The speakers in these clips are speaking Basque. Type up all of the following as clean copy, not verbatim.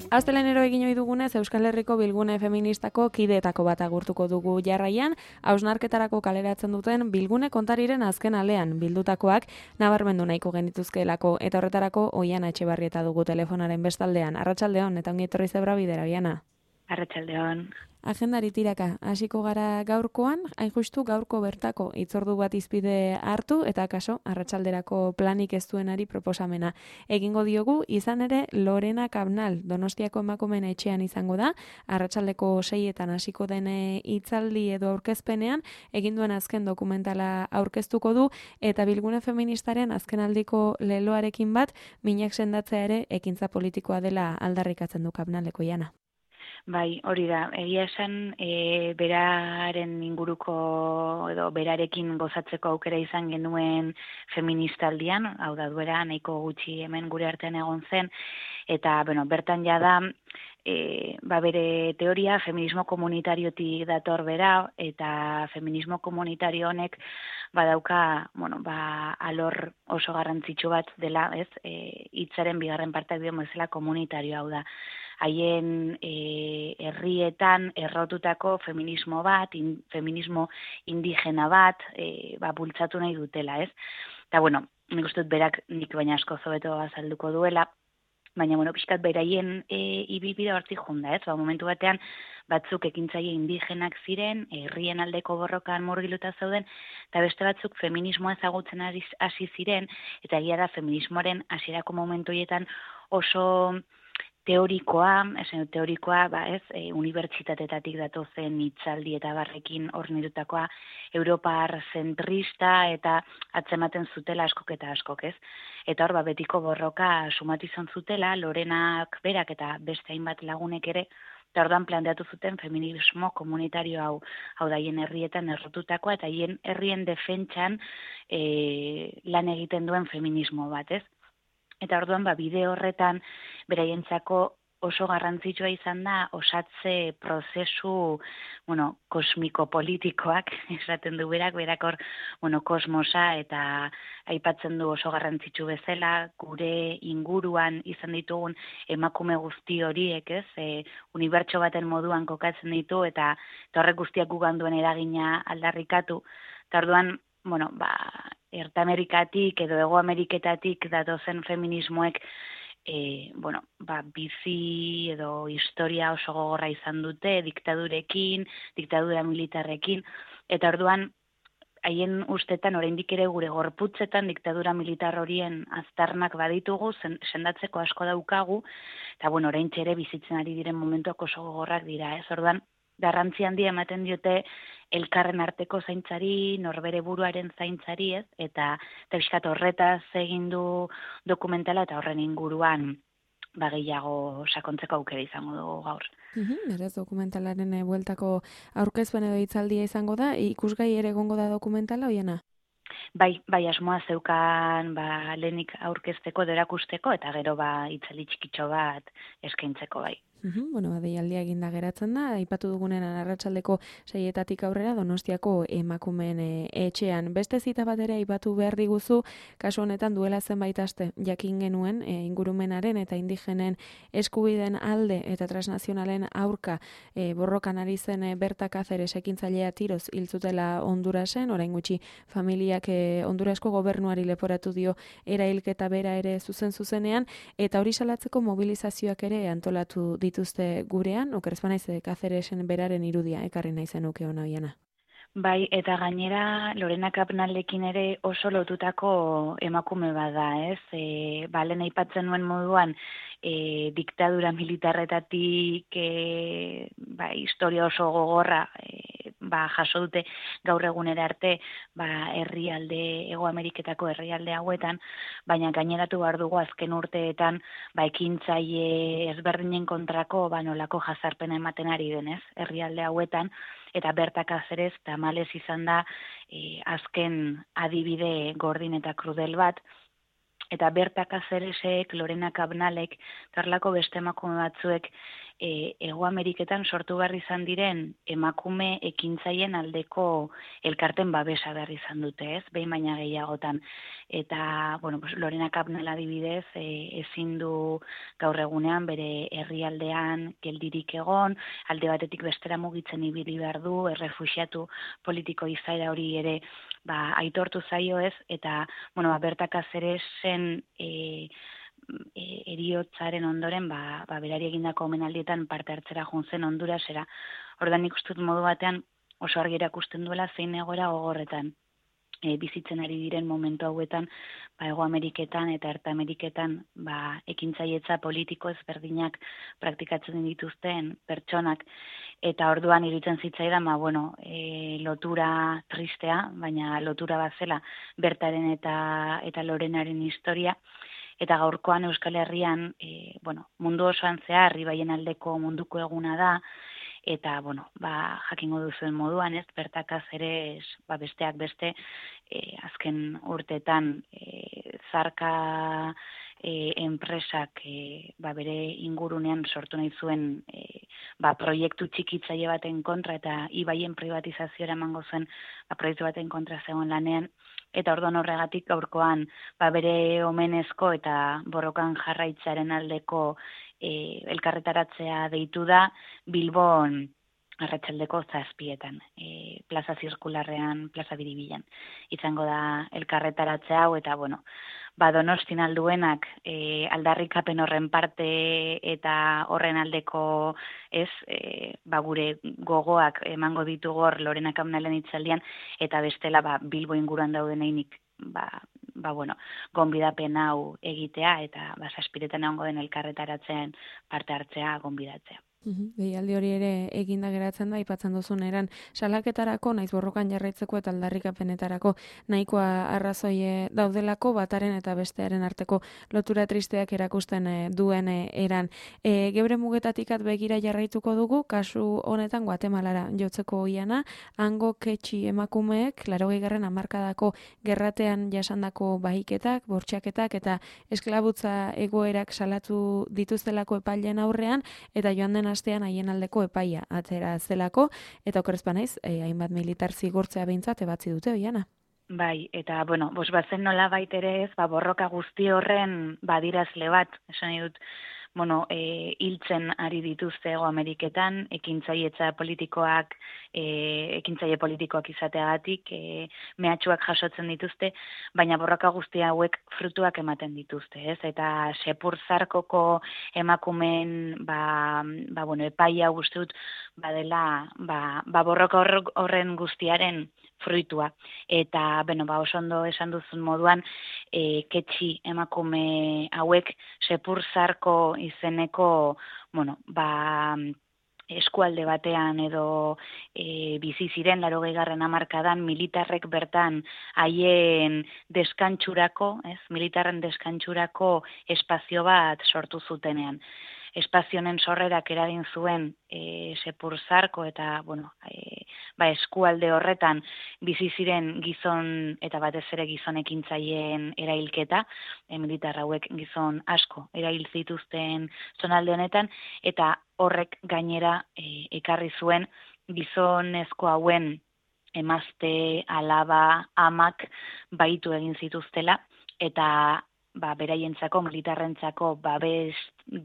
Astelenero egin ohi dugunez Euskal Herriko Bilgune Feministako kideetako bat agurtuko dugu jarraian, hausnarketarako kaleratzen duten Bilgune kontariren azken alean bildutakoak nabarmendu nahiko genituzkeelako eta horretarako Oiana Etxebarrieta dugu telefonaren bestaldean. Arratsaldeon eta ongi etorri Zebra Bidera, Oiana. Arratsaldeon. Agendari tiraka, hasiko gara gaurkoan, hain justu gaurko bertako hitzordu bat izpide hartu eta kaso arratsalderako planik ez duenari proposamena. Egingo diogu, izan ere Lorena Cabnal Donostiako emakumeen etxean izango da, arratsaldeko 6etan hasiko den hitzaldi edo aurkezpenean, egin duen azken dokumentala aurkeztuko du eta Bilgune Feministaren azkenaldiko leloarekin bat, minak sendatzea ere ekintza politikoa dela aldarrikatzen du Cabnaleko, Oiana. Bai, hori da. Egia esan, beraren inguruko edo berarekin gozatzeko aukera izan genuen feministaldian, hau da duera nahiko gutxi hemen gure artean egon zen, eta bertan jada bere teoria feminismo komunitariotik dator bera, eta feminismo komunitario honek badauka, alor oso garrantzitsu bat dela, ez? Hitzaren bigarren parteak dio bezala komunitario, hau da. Haien herrietan errotutako feminismo bat, feminismo indigena bat, bultzatu nahi dutela, ez? Eta, nik uste dut berak nik baina asko hobeto azalduko duela, baina, pixkat beraien ibilbide hortzik junda, ez? Momentu batean, batzuk ekintzaile indigenak ziren, herrien aldeko borrokan murgiluta zeuden, eta beste batzuk feminismoa ezagutzen hasi ziren, eta egia da feminismoaren hasierako momentu horietan oso teorikoa, unibertsitatetatik datozen hitzaldi eta barrekin hornitutakoa, Europar zentrista eta atzematen zutela askok eta askok, ez? Eta hor, betiko borroka sumatu izan zutela, Lorenak berak eta beste hainbat lagunek ere, eta orduan planteatu zuten feminismo komunitario hau da hien herrietan errotutakoa eta hien herrien defentsan lan egiten duen feminismo bat, ez? Eta orduan, bide horretan, beraientzako oso garrantzitsua izan da, osatze prozesu, kosmiko-politikoak, esaten du berak hor, kosmosa eta aipatzen du oso garrantzitsu bezala, gure inguruan izan ditugun emakume guzti horiek, ez? Unibertso baten moduan kokatzen ditu, eta horrek guztiak gugan duen eragina aldarrikatu. Eta orduan, Erta Amerikatik edo Hego Ameriketatik datozen feminismoek bizi edo historia oso gogorra izan dute, diktadura militarrekin, eta orduan haien ustetan oraindik ere gure gorputzetan diktadura militar horien aztarnak baditugu, sendatzeko asko daukagu, eta oraintxe ere bizitzen ari diren momentuak oso gogorrak dira, ez? Orduan, garrantzi handia ematen diote elkarren arteko zaintzari, norbere buruaren zaintzari, ez? Eta pixkat horretaz egin du dokumentala eta horren inguruan gehiago sakontzeko aukera izango dugu gaur. Berez dokumentalaren bueltako aurkezpen edo hitzaldia izango da, ikusgai ere egongo da dokumentala, Oiana? Bai, asmoa zeukan lehenik aurkezteko, erakusteko, eta gero hitzaldi txikitxo bat eskaintzeko bai. Deialdia eginda geratzen da, aipatu dugunen arratsaldeko 6etatik aurrera Donostiako emakumeen etxean. Beste zita bat ere aipatu behar diguzu, kasu honetan duela zenbait aste jakin genuen ingurumenaren eta indigenen eskubideen alde eta transnazionalen aurka borrokan ari zen Berta Cáceres ekintzailea tiroz hil zutela Hondurasen, orain gutxi familiak Hondurasko gobernuari leporatu dio erailketa bera ere zuzenean, eta hori salatzeko mobilizazioak ere antolatu dituzte gurean, okerez banaiz Cáceresen beraren irudia ekarri nahi zenuke ona, Oiana. Bai, eta gainera Lorena Cabnalekin ere oso lotutako emakume bada, ez? Lehen aipatzen nuen moduan, diktadura militarretatik historia oso gogorra jaso dute gaur egunera arte herrialde, Hego Ameriketako herrialde hauetan, baina gaineratu behar dugu azken urteetan ekintzaile ezberdinen kontrako nolako jazarpena ematen ari denez herrialde hauetan, eta Berta Cáceres tamalez izan da azken adibide gordin eta krudel bat, eta Berta Cáceresek, Lorena Cabnalek, tarlako beste emakume batzuek Hego Ameriketan sortu behar izan diren emakume ekintzaien aldeko elkarten babesa behar izan dute, ez? Behin baina gehiagotan. Eta, bueno, pues, Lorena Cabnal adibidez, ezin du gaur egunean bere herrialdean geldirik egon, alde batetik bestera mugitzen ibili behar du, errefuxiatu politiko izaera hori ere aitortu zaio ez, eta, bueno, Berta Cáceresen eriotzaren ondoren, berari egindako omenaldietan parte hartzera joan zen Hondurasera. Ordan nik uste dut modu batean oso argi erakusten duela zein egoera gogorretan bizitzen ari diren momentu hauetan, Hego Ameriketan eta Erta Ameriketan ekintzailetza politiko ezberdinak praktikatzen dituzten pertsonak, eta orduan iruditzen zitzaidan, lotura tristea, baina lotura bazela Bertaren eta Lorenaren historia. Eta gaurkoan Euskal Herrian, mundu osoan zehar, ibaien aldeko munduko eguna da, eta, jakingo duzuen moduan, ez, Berta Cáceres, besteak beste, azken urtetan, zarka enpresak, bere ingurunean sortu nahi zuen, proiektu txikitzaile baten kontra, eta ibaien privatizazioa emango zen, proiektu baten kontra zegoen lanean, eta orduan horregatik gaurkoan bere omenezko eta borrokan jarraitzaren aldeko elkarretaratzea deitu da Bilbon arratsaldeko 7:00, plaza zirkularrean, plaza Biribilan. Izango da elkarretaratze hau, eta Donostin alduenak aldarrikapen horren parte eta horren aldeko gure gogoak emango ditugu hor Lorena Cabnalen hitzaldian, eta bestela Bilbo inguruan daudeneinik gonbidapen hau egitea, eta 7:00 egongo den elkarretaratzen parte hartzea gonbidatzea. Deialdi hori ere eginda geratzen da, aipatzen duzun eran salaketarako, naiz borrokan jarraitzeko eta aldarrikapenetarako nahikoa arrazoi daudelako, bataren eta bestearen arteko lotura tristeak erakusten duen eran. Geure mugetatikat begira jarraituko dugu, kasu honetan Guatemalara jotzeko oiana, hango ketxi emakumeek 80. hamarkadako gerratean jasandako bahiketak, bortxaketak eta esklabutza egoerak salatu dituztelako epaileen aurrean, eta joan den astean haien aldeko epaia atzera zelako, eta okerrezpa naiz, hainbat militar zigortzea behintzat ebatzi dute, oiana. Bai, eta, bazen nola baitere ez, borroka guzti horren badirazle bat, esan dut, hiltzen ari dituzte Hego Ameriketan, ekintzaile politikoak izateagatik, mehatxuak jasotzen dituzte, baina borroka guzti hauek frutuak ematen dituzte, ez? Eta Sepurzarkoko emakumeen, epaia uste dut, badela, borroka horren guztiaren fruitua. Eta, oso ondo esan duzun moduan, ketxi emakume hauek Sepurzarko izeneko, eskualde batean edo bizi ziren 80. hamarkadan militarrek bertan haien deskantxurako, militarren deskantxurako espazio bat sortu zutenean. Espazionen sorrerak eragin zuen Sepurzarko eta eskualde horretan bizi ziren gizon eta batez ere gizon ekintzaileen erailketa, militar hauek gizon asko erail zituzten zonalde honetan, eta horrek gainera ekarri zuen gizonezko hauen emazte, alaba, amak baitu egin zituztela, eta beraientzako, militarrentzako babes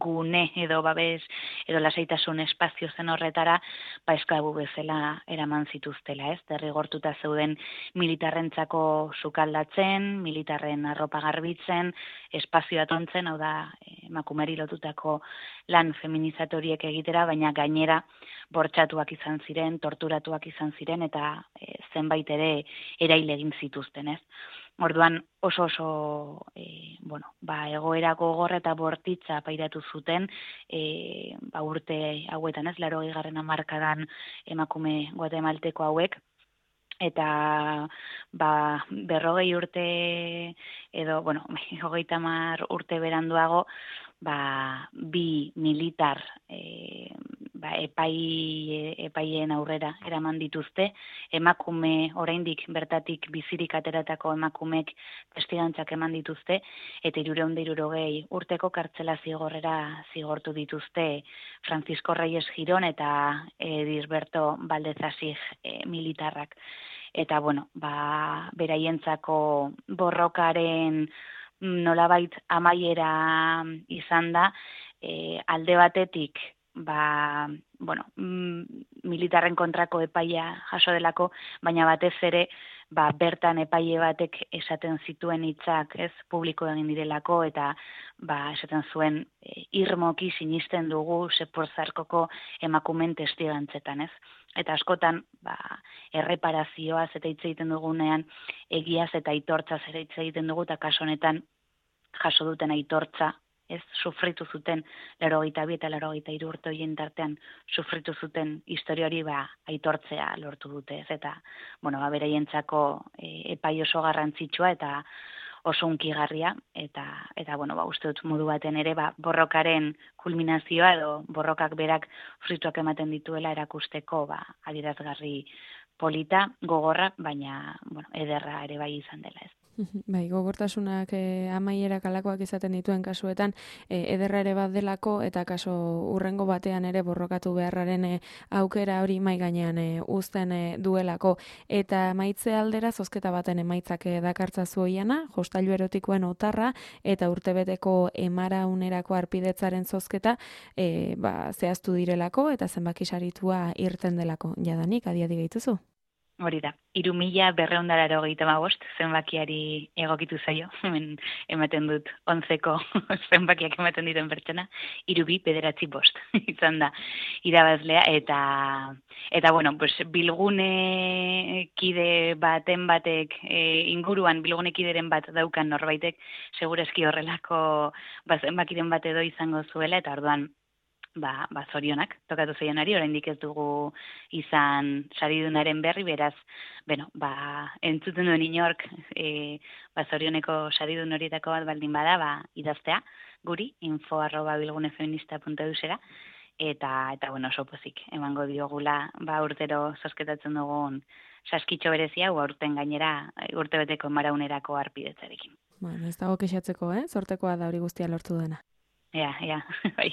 gune edo lasaitasun espazio zen horretara, esklabu bezala eraman zituztela, ez? Derrigortuta zeuden militarrentzako sukaldatzen, militarren arropa garbitzen, espazioa tontzen, hau da, emakumeri lotutako lan feminizatoriek egitera, baina gainera bortxatuak izan ziren, torturatuak izan ziren, eta zenbait ere erail egin zituzten, ez? Orduan oso egoera gogor eta bortitza pairatu zuten urte hauetan, 80. hamarkadan emakume guatemalteko hauek, eta 40 urte edo 30 urte beranduago, bi militar epaien aurrera eraman dituzte, emakume oraindik bertatik bizirik ateratako emakumek testigantzak eman dituzte, eta 360 urteko kartzela zigorrera zigortu dituzte Francisco Reyes Girón eta Edilberto Valdezasig militarrak. Eta, beraientzako borrokaren nolabait amaiera izan da, alde batetik, militarren kontrako epaia jaso delako, baina batez ere, bertan epaile batek esaten zituen hitzak, ez, publiko egin direlako, eta esaten zuen irmoki sinisten dugu Seporzarkoko emakumen testigantzetan, ez? Eta askotan, erreparazioaz eta hitz egiten dugunean, egiaz eta aitortzaz ere hitz egiten dugu, eta kasu honetan jaso duten aitortza, ez, sufritu zuten 82 eta 83 urte horien tartean sufritu zuten historia hori aitortzea lortu dute, ez, eta beraientzako epai oso garrantzitsua eta oso hunkigarria, eta uste dut modu baten ere borrokaren kulminazioa edo borrokak berak fruituak ematen dituela erakusteko adierazgarri polita, gogorra, baina ederra ere bai izan dela, ez. Bai, gogortasunak amaierak alakoak izaten dituen kasuetan ederra ere bat delako, eta kaso urrengo batean ere borrokatu beharraren aukera hori mai gainean uzten duelako. Eta maitze aldera zozketa baten emaitzak dakartza zuoiana, jostailu erotikoen otarra eta urtebeteko emaraunerako arpidetzaren zozketa zehaztu direlako eta zenbaki saritua irten delako. Jadanik, adiadi gehituzu? Hori da, 3.285 zenbakiari egokitu zaio, hemen ematen dut 11ko zenbakiak ematen dituen pertsona, 3.295 izan da irabazlea, eta bilgune kide baten batek inguruan bilgune kideren bat daukan norbaitek, segureski horrelako zenbakiren bat edo izango zuela, eta orduan zorionak tokatu zaionari, oraindik ez dugu izan saridunaren berri, beraz, entzuten duen inork zorioneko saridun horietako bat baldin bada, idaztea guri, info@bilgunefeminista.eusera, eta oso pozik emango diogula urtero zozketatzen dugun saskitxo berezia, aurten gainera urtebeteko maraunerako arpidetzarekin. Ez dago kexatzeko, zortekoa da hori guztia lortu dena. Ja, bai.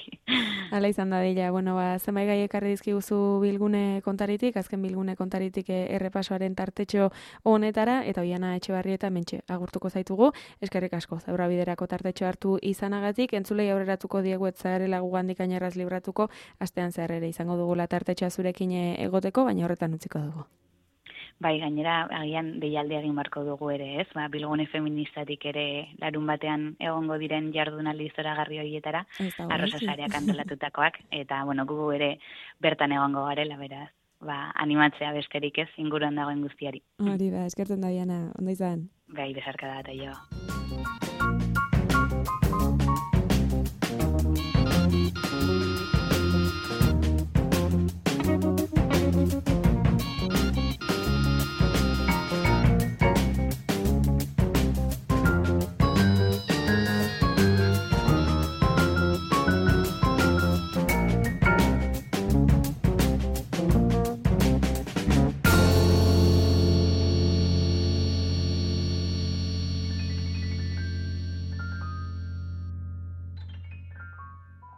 Hala izan da dela, zenbait gai ekarri dizkiguzu bilgune kontaritik, azken bilgune kontaritik errepasoaren tartetxo honetara, eta Oiana Etxebarrieta mentxe agurtuko zaitugu, eskerrik asko, Zaurra Biderako tartetxo hartu izanagatik, entzulei aurreratuko diegu etzarela gugandik ainerraz libratuko, astean zehar ere izango dugula tartetxoa zurekin egoteko, baina horretan utziko dugu. Bai, gainera, agian deialdi egin barko dugu ere, ez? Bilgune feministatik ere larun batean egongo diren jardunaldi zoragarri horietara, arrosasareak antolatutakoak, eta, gugu ere bertan egongo garela, beraz, animatzea besterik ez, inguruan dagoen guztiari. Hori da, eskertzen da, Diana, ondo izan? Bai, besarka da, eta jo.